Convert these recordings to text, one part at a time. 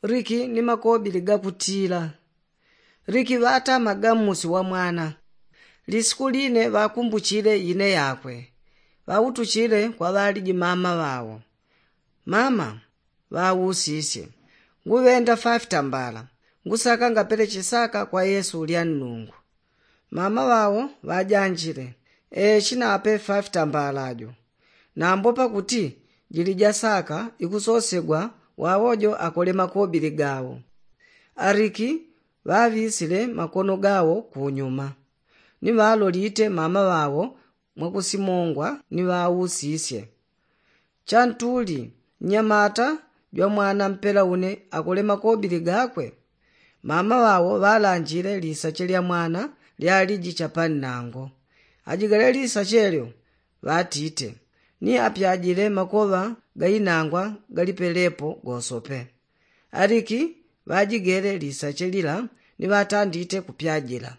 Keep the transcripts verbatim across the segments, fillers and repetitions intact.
Riki ni makobili gakutila. Riki ŵatamaga mmusi wa mwana. Lisiku line ŵakumbuchile ine yakwe, ŵautuchile kwa ŵaliji mama ŵao. Mama, ŵausisye, nguŵenda fafitambala, ngusaka ngapeleche saka kwa yesu ulya nnungu. Mama ŵao ŵajanjile, ee chinape fafitambala jo. Nambo pakuti jili ja saka ikusosegwa, wawo jo akole makobili gawo. Ariki ŵaŵisile makono gawo kunyuma, ni ŵalolite mama ŵawo mwakusimongwa ni ŵausisye, chantuli nnyamata jwa mwana mpela une akole makobili gakwe? Mama ŵawo ŵalanjile lisache lya mwana lyaliji chapannango. Ajigale lisache lyo, ŵatite, ni apyajile makoŵa gainangwa galipelepo gosope. Ariki ŵajigele lisache lila ni ŵatandite kupyajila.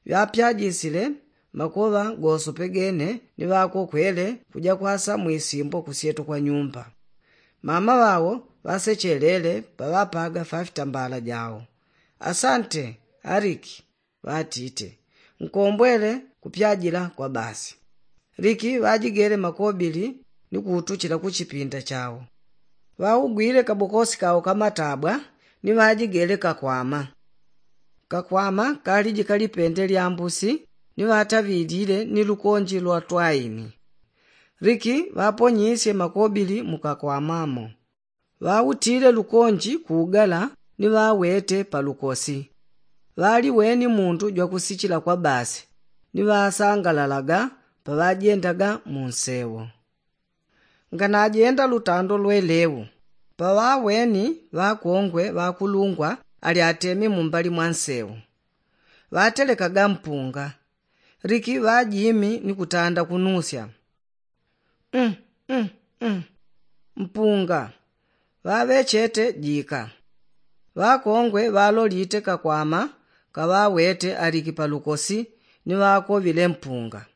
Ŵapyajisile makoŵa gosope gene ni ŵakokwele kuja kwasa mwisimbo kusyeto kwa nyumba. Mama ŵawo ŵasechelele paŵapaga fafitambala jawo. Asante, ariki, ŵatite, nkombwele kupyajila kwa basi. Liki ŵajigele makobili ni kuutuchila ku chipinda chawo. Ŵaugwile kabokosi kawo ka matabwa ni ŵajigele kakwama. Kakwama kaliji kalipende lya mbusi ni ŵataŵilile ni lukonji lwa twaini. Liki ŵaponyisye makobili mu kakwamamo. Ŵautile lukonji kuugala ni ŵawete pa lukosi. Ŵaliweni mundu jwakusichila kwa basi ni ŵasangalalaga paŵajendaga mu nsewo. Nganajenda lutando lweleu, paŵaweni ŵakongwe ŵakulungwa ali atemi mumbali mwa nsewo. Ŵatelekaga mpunga. Liki ŵajimi ni kutanda kunusya, mm, mm, mm. Mpunga ŵaŵechete jika. Ŵakongwe ŵalolite kakwama kaŵawete aliki pa lukosi ni ŵakoŵile mpunga.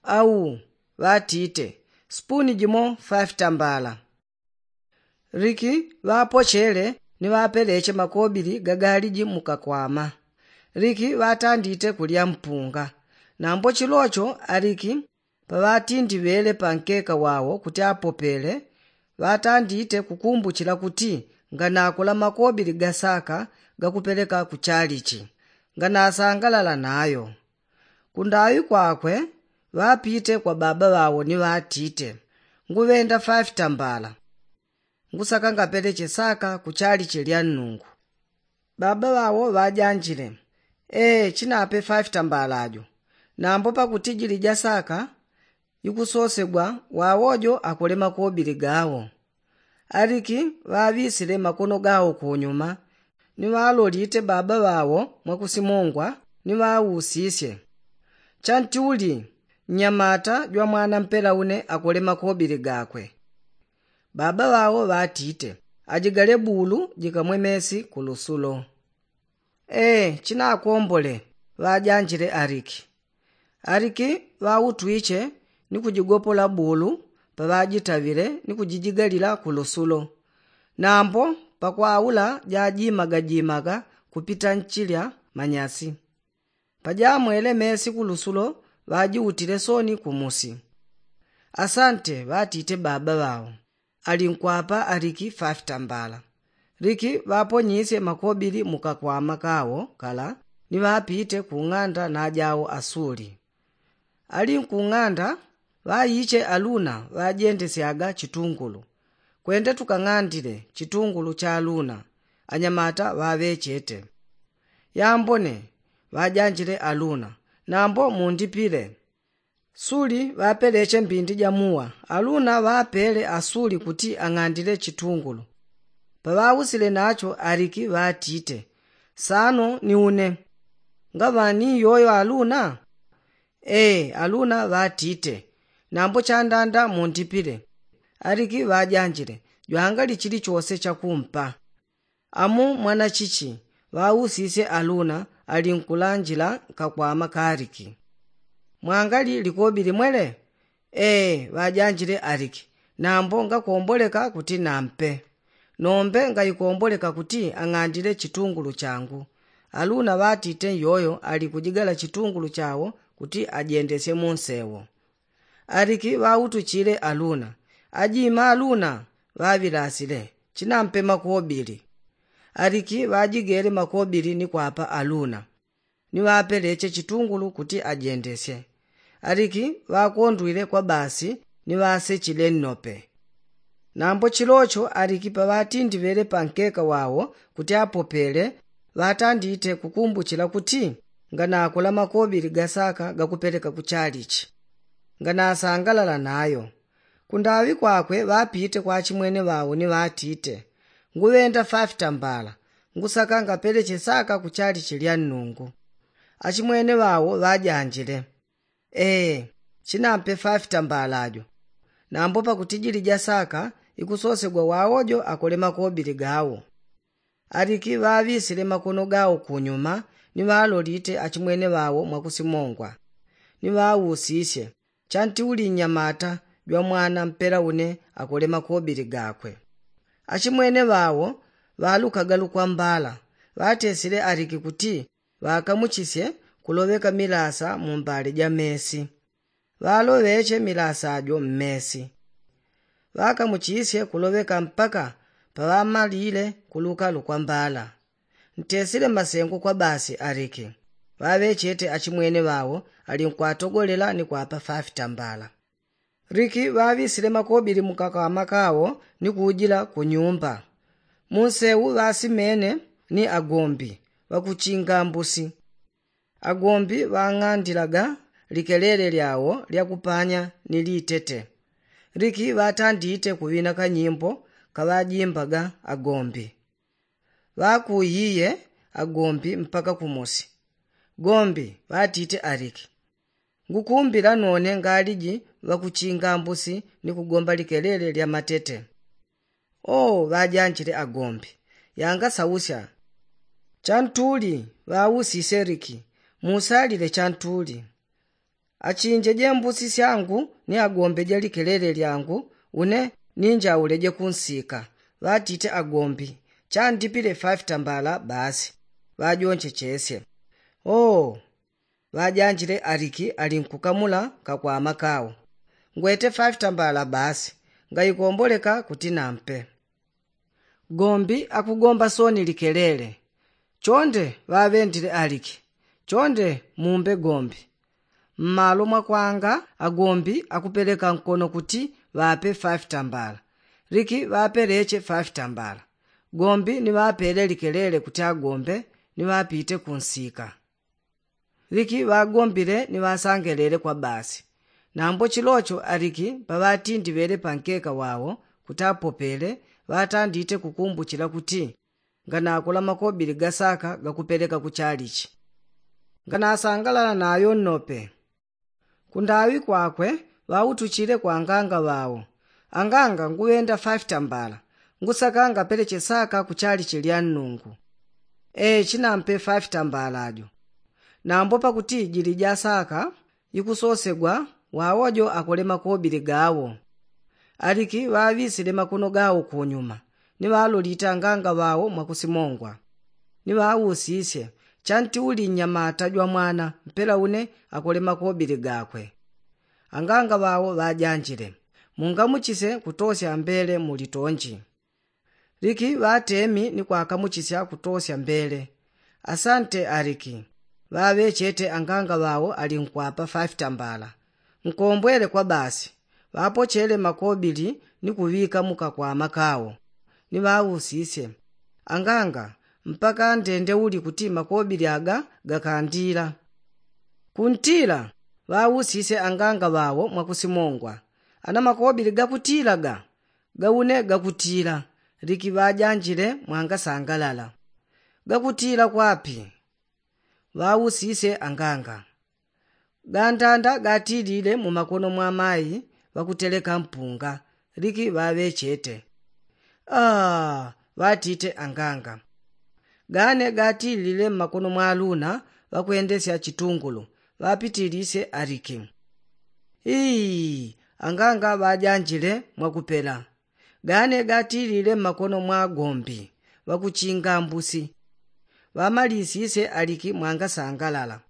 Au, ŵatite, sipuni jimo fafitambala. Liki ŵapochele ni ŵapeleche makobili gagaliji mu kakwama. Liki ŵatandite kulya mpunga. Nambo chilocho aliki paŵatindiŵele pa nkeka wawo kuti apopele, ŵatandite kukumbuchila kuti nganakola makobili gasaka gakupeleka ku chalichi, nganasangalala nayo. Kundaŵi kwakwe ŵapite kwa baba ŵawo ni ŵatite, nguŵenda fafitambala, ngusaka ngapeleche saka ku chalichi lya nnungu. Baba ŵawo ŵajanjile, ee chinape fafitambala jo. Nambo pakuti jili ja saka ikusosegwa, wawo jo akole makobili gawo. Aliki ŵaŵisile makono gawo kunyuma ni ŵalolite baba ŵawo mwakusimongwa ni ŵausisye, chanti uli nnyamata jwa mwana mpela une akole makobili gakwe? Baba ŵawo ŵatite, ajigale bulu jikamwe mesi ku lusulo. Ee chinakombole, ŵajanjile aliki. Aliki ŵautwiche ni kujigopola bulu paŵajitaŵile ni kujijigalila ku lusulo. Nambo pakwaula jajimagajimaga kupita nchilya manyasi. Pajamwele mesi ku lusulo ŵajiutile soni kumusi. Asante, ŵatite baba ŵawo. Alinkwapa aliki fafitambala. Liki ŵaponyisye makobili mu kakwama kawo kala ni ŵapite ku ng'anda najawo asuli. Ali nkung'anda ŵaiche aluna ŵajendesyaga chitungulu. Kwende tukang'andile chitungulu cha aluna. Anyamata ŵaŵechete. Yambone, ŵajanjile aluna, nambo mundipile. Suli ŵapeleche mbindi ja muwa. Aluna ŵapele asuli kuti ang'andile chitungulu. Paŵausile nacho aliki ŵatite, sano ni une. Ngaŵani yoyo aluna? Ee aluna ŵatite. Nambo chandanda mundipile. Aliki ŵajanjile, jwangali chilichose chakumpa. Amu mwanachichi? Ŵausisye aluna ali nkulanjila nkakwama ka aliki. Mwangali likobi limwele? Ee ŵajanjile aliki, nambo ngakomboleka kuti nampe. Nombe ngaikomboleka kuti ang'andile chitungulu changu. Aluna ŵatite nyoyo ali kujigala chitungulu chawo kuti ajendesye munsewo. Aliki ŵautuchile aluna. Ajima aluna ŵaŵilasile, chinampe makobili. Aliki ŵajigele makobili ni kwapa aluna ni ŵapeleche chitungulu kuti ajendesye. Aliki ŵakondwile kwa basi ni ŵasechile nnope. Nambo chilocho aliki paŵatindiŵele pankeka wawo kuti apopele, ŵatandite kukumbuchila kuti nganakola makobili gasaka gakupeleka kuchalichi. Nganasangalala nayo. Kundaŵi kwakwe ŵapite kwa achimwene ŵawo ni ŵatite, nguŵenda fafita mbala, ngusaka ngapeleche saka kuchalichi lya nnungu. Achimwene ŵawo ŵajanjile, ee, chinampe fafita mbala jo. Nambo pakuti jili jasaka ikusosegwa wawo jo akole makobili gawo. Aliki ŵaŵisile makono gawo kunyuma ni ŵalolite achimwene ŵawo mwakusimongwa, ni ŵausisye, chanti uli nnyamata jwa mwana mpela une akole makobili gakwe. Achimwene ŵawo ŵalukaga lukwambala, ŵatesile aliki kuti ŵakamuchisye kuloŵeka milasa mu mbale ja mesi. Ŵaloŵeche milasa jo mmesi. Ŵakamuchisye kuloŵeka mpaka paŵamalile kuluka lukwambala. Ntesile masengo kwa basi aliki. Ŵaŵechete achimwene ŵawo ali nkwatogolela ni kwapa fafita mbala. Liki ŵaŵisile makobili mukakama kawo ni kujila kunyumba. Munsewu ŵasimene ni agombi ŵakuchinga mbusi. Agombi ŵang'andilaga likelele lyawo lya kupanya ni litete. Liki ŵatandite kuŵina kanyimbo kaŵajimbaga agombi. Ŵakuyiye agombi mpaka kumusi. Gombi, ŵatite aliki, ngukumbila none ngaliji ŵakuchinga mbusi ni kugomba likelele lya matete. Oo, ŵajanjile agombi, yangasausya. Chantuli, ŵausisye liki, musalile chantuli. Achinjeje mbusi syangu ni agombeje likelele lyangu, une ninjauleje kunsika. Ŵatite agombi, chandipile fafita mbala basi. Ŵajonchechesye. Oo, ŵajanjile aliki ali nkukamula kakwama kawo, ngwete fafita mbala basi, ngaikomboleka kuti nampe. Gombi akugomba soni likelele. Chonde ŵaŵendile aliki, chonde mumbe gombi. Mmalo mwakwanga agombi akupeleka nkono kuti ŵape fafita mbala. Liki ŵapeleche fafita mbala. Gombi ni ŵapele likelele kuti agombe ni ŵapite kunsika. Liki ŵagombile ni ŵasangelele kwa basi. Nambo chilocho aliki paŵatindiŵele pankeka wawo kuti apopele, ŵatandite kukumbuchila kuti nganakola makobili gasaka gakupeleka kuchalichi. Nganasangalala nayo nnope. Kundaŵi kwakwe ŵautuchile kwa anganga ŵawo, anganga nguŵenda fafita mbala, ngusaka ngapeleche saka kuchalichi lya nnungu. Ee, chinampe fafita mbala jo. Nambo pakuti jili jasaka ikusosegwa, wawo jo akole makobili gawo. Aliki ŵaŵisile makono gawo kunyuma, ni ŵalolite anganga ŵawo mwakusimongwa. Ni ŵausisye, chanti uli nnyamata jwa mwana mpela une akole makobili gakwe. Anganga ŵawo ŵajanjile, mungamuchise kutosya mbele mu litonji. Liki ŵatemi ni kwakamuchisya kutosya mbele. Asante aliki. Ŵaŵechete anganga ŵawo ali nkwapa fafita mbala. Nkombwele kwa basi. Ŵapochele makobili ni kuŵika mukakwama kawo. Ni ŵausisye, anganga, mpaka ndende uli kuti makobili aga gakandila? Kuntila. Ŵausisye anganga ŵawo mwakusimongwa, ana makobili gakutila ga? Gaune gakutila. Liki ŵajanjile mwangasangalala. Gakutila kwapi? Ŵausisye anganga. Gandanda gatilile mumakono mwa mayi ŵakuteleka mpunga. Liki ŵaŵechete. Aa, ŵatite anganga. Gane gatilile mmakono mwa aluna ŵakwendesya chitungulu, ŵapitilisye aliki. Ii, anganga ŵajanjile mwakupela. gane gatilile mmakono mwa agombi ŵakuchinga mbusi. Ŵamalisisye aliki mwangasangalala.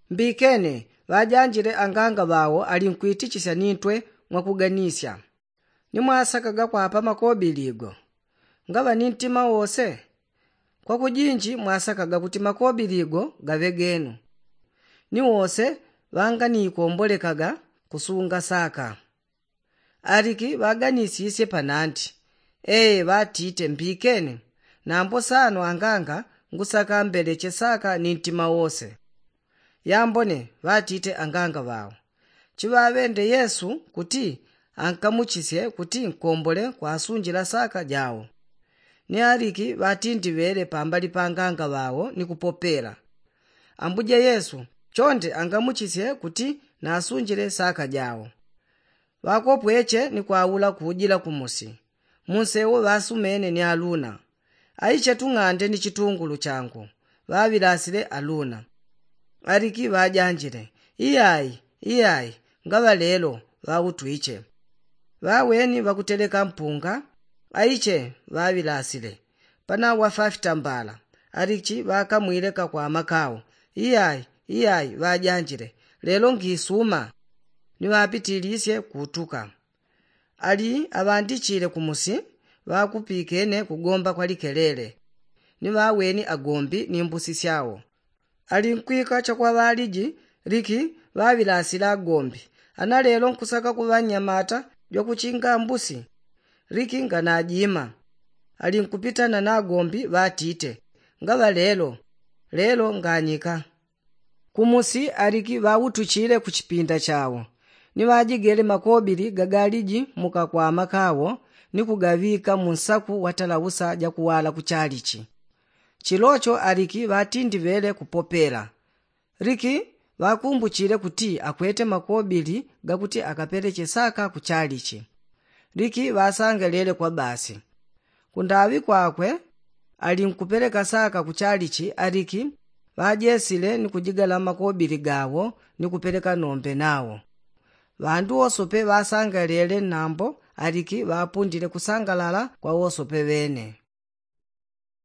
Mbikene ŵajanjile anganga ŵao alinkuitichisya nintwe mwakuganisya. Ni mwasakaga kwapa makobili go ngaŵa ni ntima wose? Kwakujinji mwasakaga kuti makobili go gaŵe genu. Ni wose ŵanganiikombolekaga kusunga saka. Aliki ŵaganisisye panandi. Ee ŵatite mbikene. Nambo sano anganga ngusaka mbeleche saka ni ntima wose. Yambone ŵatite anganga ŵao. Chiŵaŵende yesu kuti ankamuchisye kuti nkombole kwasunjila saka jao. Ni aliki ŵatindiŵele pambali pa anganga ŵao ni kupopela. Ambuje yesu chonde angamuchisye kuti nasunjile saka jao. Ŵakopweche ni kwaula kujila kumusi. Munsewo ŵasumene ni aluna. Aiche tung'ande ni chitungulu changu. Ŵaŵilasile aluna. Aliki ŵajanjile. Iyai, iyai. Ngaŵa lelo ŵautwiche. Ŵaweni ŵakuteleka mpunga. Aiche ŵaŵilasile. Panawa fafitambala. Aliki ŵakamwile kakwama kao. Iyai, iyai ŵajanjile. Lelo ngisuma. Ni ŵapitilisye kutuka. Ali aŵandichile kumusi ŵakupikene kugomba kwa likelele. Ni ŵaweni agombi ni mbusi syao. Alinkwika chakwaŵaliji liki ŵaŵilasila agombi. Ana lelo nkusaka kuŵa nnyamata jwakuchinga mbusi? Liki nganajima. Alinkupitana na agombi ŵatite. Ngaŵa lelo. Lelo nganyika. Kumusi aliki ŵautuchile ku chipinda chao. Ni ŵajigele makobili gagaliji mukakwama kawo ni kugaŵika mu nsaku watalausa jakuwala ku chalichi. Chilocho aliki ŵatindiŵele kupopela. Liki ŵakumbuchile kuti akwete makobili gakuti akapeleche saka ku chalichi. Liki ŵasangelele kwa basi. Kundaŵi kwakwe alinkupeleka saka ku chalichi aliki ŵajesile ni kujigala makobili gawo ni kupeleka nombe nawo. Ŵandu wosope ŵasangalele nambo aliki ŵapundile kusangalala kwa wosope ŵene.